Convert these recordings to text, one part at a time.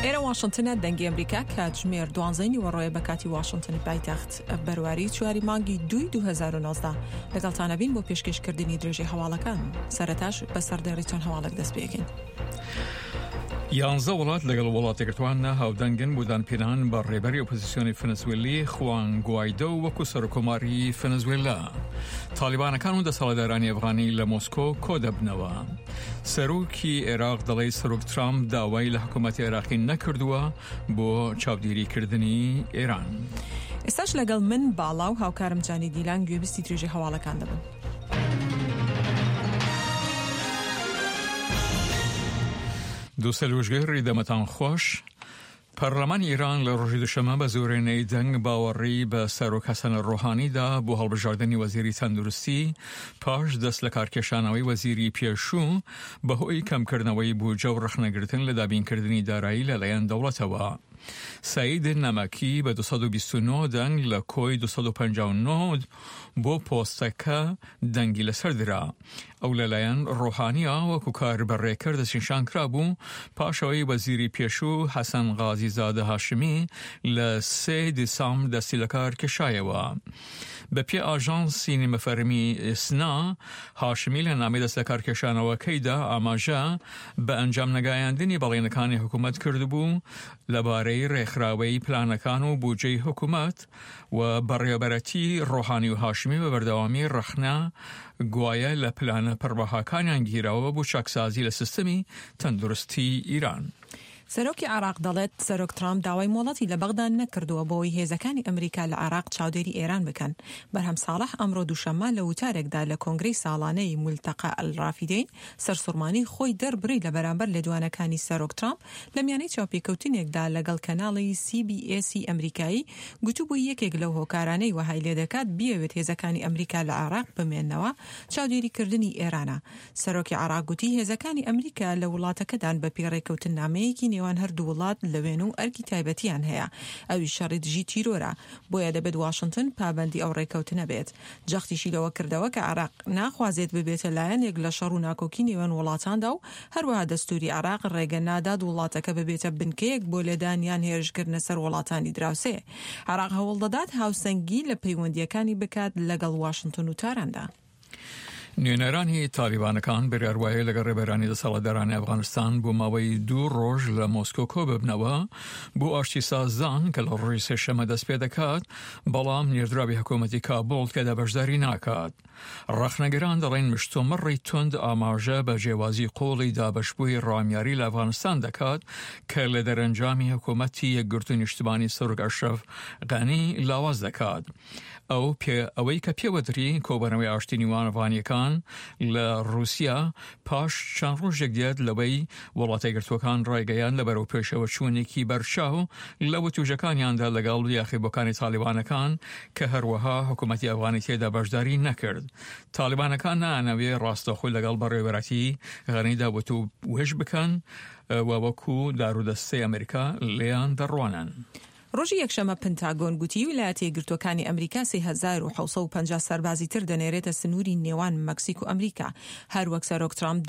ئێرە واشنتنە دەنگی ئەمریکا کاتژمێر دوانزەی نیوەڕۆیە بە کاتی واشنتنی پایتەخت بەرواری چواری مانگی دووی 2019 لەگەڵتانە بین بۆ پێشکەشکردنی درێژەی هەواڵەکان سەرەتاش بە سەردێڕی چەند هەواڵێک دەست پێکەین. یانزە وڵات لەگەڵ وڵاتەگرتوان هاودەنگن بۆ دانپێدانان بە ڕێبەری ئۆپۆزیسیۆنی فنزوێلی خوان گوایدۆ وەکو سەرۆککۆماری فنزوێلا. تاڵیبانەکان و دەسەڵاتدارانی ئەفغانی لە مۆسکۆ کۆدەبنەوە. سەرۆکی عێراق دەڵێت سەرۆک ترامپ داوای لە حکوومەتی عێراقی نەکردووە بۆ چاودێریکردنی ئێران. ئێستاش لەگەڵ من باڵا و هاوکارم جانی دیلان گوێبیستی درێژەی هەواڵەکان دەبن. دووسەلوژگەری دەمەتان خۆش. پەرلەمانی ئیران لە ڕۆژی دوشەمە بە زۆرینەی دەنگ باوەڕی بە سەرۆک حەسەن ڕۆحانی دا بۆ هەڵبژاردنی وەزیری تەندروستی پاش دەست لە کارکێشانەوەی وەزیری پێشوو بەهۆی کەمکردنەوەی بودجە و ڕەخنەگرتن لە دابینکردنی دارایی لەلایەن دەوڵەتەوە. سەید نەمەکی بە 229 دەنگ لە کۆی 259 بۆ پۆستەکە دەنگی لەسەر درا. ئەو لەلایەن ڕۆحانییەوە وەکو کاربەڕێکەر دەستنیشان کرابوو، پاش ئەوەی وەزیری پێشوو حەسەن غازیزادە هاشمی لە سێ دیسامبر دەستی لەکار کێشایەوە. بەپێی ئاژانسی نیمەفەرمی ئیسنا، هاشمی لە نامەی دەستلەکارکێشانەوەکەیدا ئاماژە بە ئەنجام نەگایاندنی بەڵێنەکانی حکومەت کردبوو لەبارەی ڕێکخراوەی پلانەکان و بودجەی حکومەت، و بەڕێوەبەرەتی ڕۆحانی و هاشمی بە بەردەوامی ڕەخنە گوایە لە پلانە پڕبەهاکانیان گیراوە بۆ چاکسازی لە سیستمی تەندروستی ئیران. سەرۆکی عێراق دەڵێت، سەرۆک ترامپ داوای مۆڵەتی لە بەغدا نەکردووە بۆوەی هێزەکانی ئەمریکا لە عێراق چاودێری ئێران بکەن. بەرهەم ساڵح ئەمڕۆ دووشەممە لە وتارێکدا لە کۆنگرەی ساڵانەی مولتەقا ئەلرافیدەین سەرسوڕمانی خۆی دەربڕی لە بەرامبەر لێدوانەکانی سەرۆک ترامپ لە میانەی چاوپێکەوتنێکدا لەگەڵ کەناڵی سی بی ئێسی ئەمریکایی گوتبووی یەکێک لەو هۆکارانەی وەهای لێدەکات بیەوێت هێزەکانی ئەمریکا لە عێراق بمێننەوە چاودێریکردنی ئێرانە. سەرۆکی عێراق گوتی هێزەکانی ئەمریکا لە وڵاتەکەدان بەپێی ڕێککەوتننامەیەکی نێوان هەردوو وڵات لەوێن و ئەرکی تایبەتیان هەیە ئەویش شەڕی دژی تیرۆرە بۆیە دەبێت واشنتن پابەندی ئەو ڕێککەوتنە بێت. جەختیشی لەوە کردەوە کە عێراق ناخوازێت ببێتە لایەنێک لە شەڕ و ناکۆکی نێوان وڵاتاندا و هەروەها دەستووری عێراق ڕێگە نادات وڵاتەکە ببێتە بنکەیەک بۆ لێدان یان هێرشکردنە سەر وڵاتانی دراوسێ. عێراق هەوڵدەدات هاوسەنگی لە پەیوەندییەکانی بکات لەگەڵ واشنتن و تاراندا. نوێنەرانی تالیبانەکان بڕیار وایە لەگەڵ ڕێبەرانی دەسەڵاتدارانی ئەفغانستان بۆ ماوەی دوو ڕۆژ لە مۆسکۆ کۆببنەوە بۆ ئاشتی سازدان کە لە ڕۆژی سێشەمە دەست پێ دەکات، بەڵام نێردراوی حکوومەتی کابوڵ تێدا بەشداری ناکات. ڕەخنەگران دەڵێن مشتومڕی توند ئاماژە بە جیاوازی قووڵی دابەشبووی ڕامیاری لە ئەفغانستان دەکات کە لە دەرەنجامی حکوومەتی یەکگرتووی نیشتمانی سەرۆک ئەشرەف غەنی لاواز دەکات. ئەو پێ ئەوەی کە پێوەدری کۆبەنەوەی ئاشتی نیوان ئەفغانیەکان لە ڕووسیا پاش چەند ڕۆژێک دێت لەوەی وڵاتە یەکگرتووەکان ڕایگەیاند لە بەرەو پێشەوە چوونێکی بەرچاو لە وتوژەکانیاندا لەگەڵ یاخیبووەکانی تاڵیبانەکان کە هەروەها حکوومەتی ئەفغانی تێدا بەشداری نەکرد. تاڵیبانەکان نایانەوێ ڕاستەوخۆ لەگەڵ بەڕێوەبەرایەتی غەنیدا وتووێژ بکەن و وەکوو دارودەستەی ئەمریکا لێیان دەڕوانن. ڕۆژی یەکشەممە پنتاگۆن گوتی ویلایەتە یەکگرتووەکانی ئەمریکا 3650 سەربازی تر دەنێرێتە سنووری نێوان مەکسیک و ئەمریکا، هەروەک سەرۆک ترامپ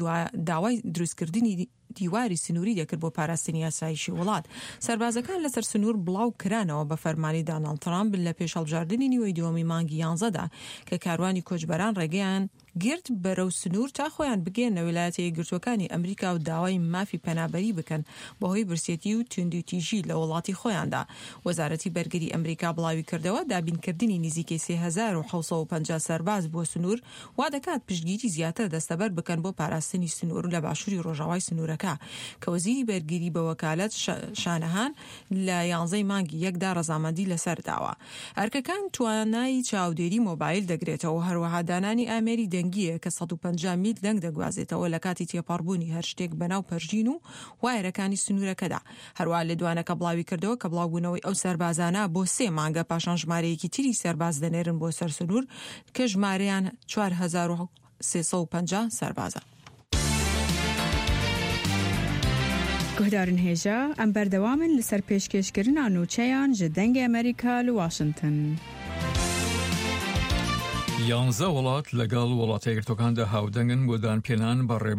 داوای دروستکردنی دیواری سنووری دەکرد بۆ پاراستنی ئاسایشی وڵات. سەربازەکان لەسەر سنوور بڵاو کرانەوە بە فەرمانی داناڵد ترامپ لە پێش هەڵبژاردنی نیوەی دووەمی مانگی یانزەدا کە کاروانی کۆچبەران ڕێگەیان گرت بەرەو سنوور تا خۆیان بگەیەننە ویلایەتە یەکگرتووەکانی ئەمریکا و داوای مافی پەنابەری بکەن بەهۆی برسێتی و توندوتیژی لە وڵاتی خۆیاندا. وەزارەتی بەرگری ئەمریکا بڵاویکردەوە، دابینکردنی نزیکەی 3650 سەرباز بۆ سنوور وادەکات پشتگیری زیاتر دەستەبەر بکەن بۆ پاراستنی سنوور لە باشووری ڕۆژاوای سنوورەکە کە وەزیری بەرگری بە وەکالەت شانەهان لە یانزەی مانگی یەکدا ڕەزامەندی لەسەر داوە. ئەرکەکان توانای چاودێری مۆبایل دەگرێتەوە و هەروەها دانانی ئامێری دەنگییە کە 150 میل دەنگ دەگوازێتەوە لە کاتی تێپەڕبوونی هەر شتێک بەناو پەرژین و وایەرەکانی سنوورەکەدا. هەروەها لێدوانەکە بڵاویکردەوە کە بڵاوبوونەوەی ئەو سەربازانە بۆ سێ مانگە پاشان ژمارەیەکی تری سەرباز دەنێرن بۆ سەر سنوور کە ژمارەیان 4350 سەربازە. Guhdarên hêja, em berdewam in li ser pêşkêşkirina nûçeyan ji Dengê Amerîka li Washington. یانزە وڵات لەگەڵ وڵاتە یەکگرتووەکاندا هاودەنگن بۆ دانپێنان بە ڕێبەری.